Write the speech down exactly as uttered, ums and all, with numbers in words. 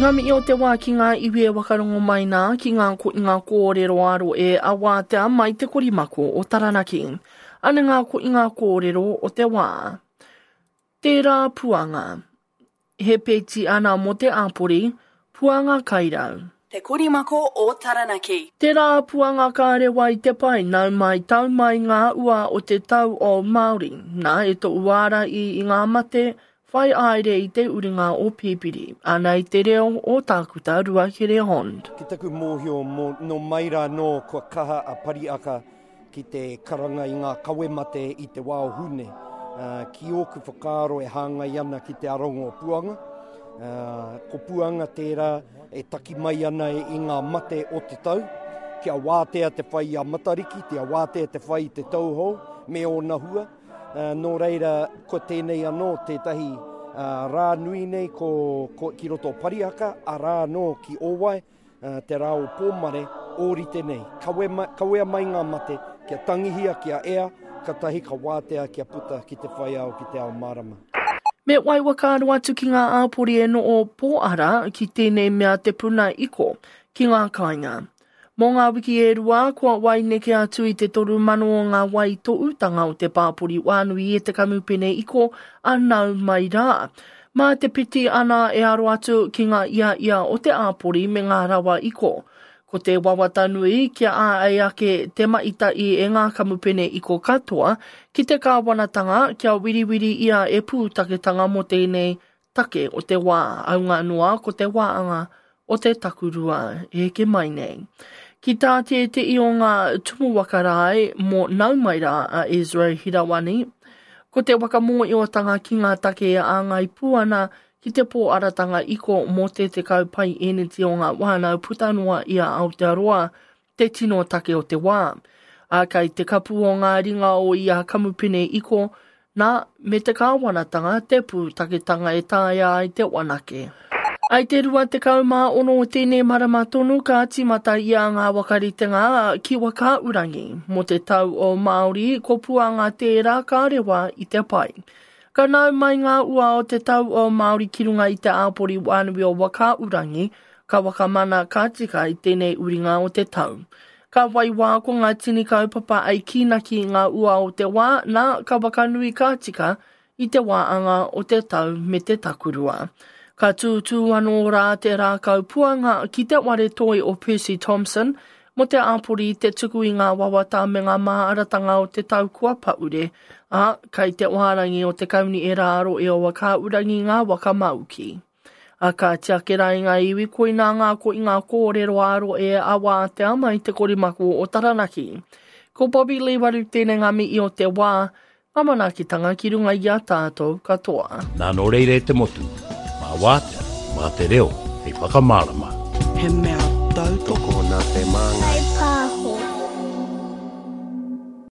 Ngā mihi o te wā ki ngā iwi e wakarongo mai nā, ki ngā ko ngā kōrero aro e awātea mai te korimako o Taranaki. Ana ngā ko ngā kōrero o te wā. Tērā puanga. He peti ana mō te āpori, puanga kairau. Te Korimako o Taranaki. Tērā puanga kārewa i te pai, nau mai tau mai ngā ua o te tau o Māori. Nā e tō uara i, i ngā mate, whai aere i te uringa o Pipiri, ana i te reo o Tākuta Ruakere Hond. Ki taku mōhio mō, nō mai rā nō kua kaha a Pariaka ki te karanga i ngā kawemate i te wā o Hune. Uh, ki ōku whakaaro e hāngai ana ki te arongo o Puanga. Uh, ko Puanga tērā e taki mai ana i ngā mate o te tau, kia wātea te whai i a Matariki, kia wātea te whai i te tauhou me ōna hua. Uh, nō reira, ko tēnei anō tētahi uh, rā nui nei ko, ko, ki roto o Pariaka, a rā anō ki Ōwae, uh, te rā o Pōmare, ōrite nei. Kawe ma, kawea mai ngā mate, kia tangihia, kia ea, katahi ka wātea kia puta ki te whai ao, ki te ao mārama. Me wai whakaaro atu ki ngā āpori e noho pōara ki tēnei mea te puna iko ki ngā kāinga. Mō ngā wiki e rua, kua wai neke atu i te toru mano o ngā wai toʻutanga o te pāpori wānui e te kamupene iko a nau mai rā. Mā te piti ana e aro atu ki ngā ia ia o te āpori me ngā rawa iko. Ko te wawata nui kia āei ake te maita'i e ngā kamupene iko katoa ki te kāwanatanga kia wiriwiri ia e pūtaketanga mō tēnei take o te wā, aunga noa ko te wāanga o te takurua e heke mai nei. Ki tā tētehi o ngā tumu waka rae mō nau mai rā a Ezra Hirawani, ko te whakamōiotanga ki ngā take e āngai pū ana ki te pōaratanga iko mō te tekau pai eneti o ngā whānau puta noa i a Aotearoa te tino take o te wā. A kei te kapu o ngā ringa o ia kamupene iko, nā, me te kāwanatanga te pūtaketanga e taea ai te wanake. Ai te rua tekau mā ono o tēnei marama tonu ka tīmata ia ngā wakaritenga ki Whakaaurangi. Mō te tau o Māori, ko Puanga tērā ka rewa i te pai. Ka nau mai ngā ua o te tau o Māori ki runga i te āpori wānui o Whakaaurangi, ka wakamana ka tika i tēnei uringa o te tau. Ka wai wā ko ngā tini kaupapa ai kīnaki ngā ua o te wā, nā ka wakanui ka tika i te wāanga o te tau me te takurua. Ka tūtū anō rā te rākau puanga ki te ware toi o Percy Thompson mō te āpori te tuku i ngā wawata me ngā māaratanga o te tau kua paure, ā, kai te wārangi o te kauni e rāro e o Whakaaurangi ngā waka mauki. A ka tiake rā i ngā iwi koinā ngā ko i ngā kōrero aro e awātea mai te korimako o Taranaki. Ko Bobby Lee Waru tēnei ngā mihi o te wā, ngā manaakitanga ki runga i a tātou katoa. Nā nō reira e te motu, mā wātea, mā te reo, hei whakamārama. He mea tautoko Tokona te māngai. Hei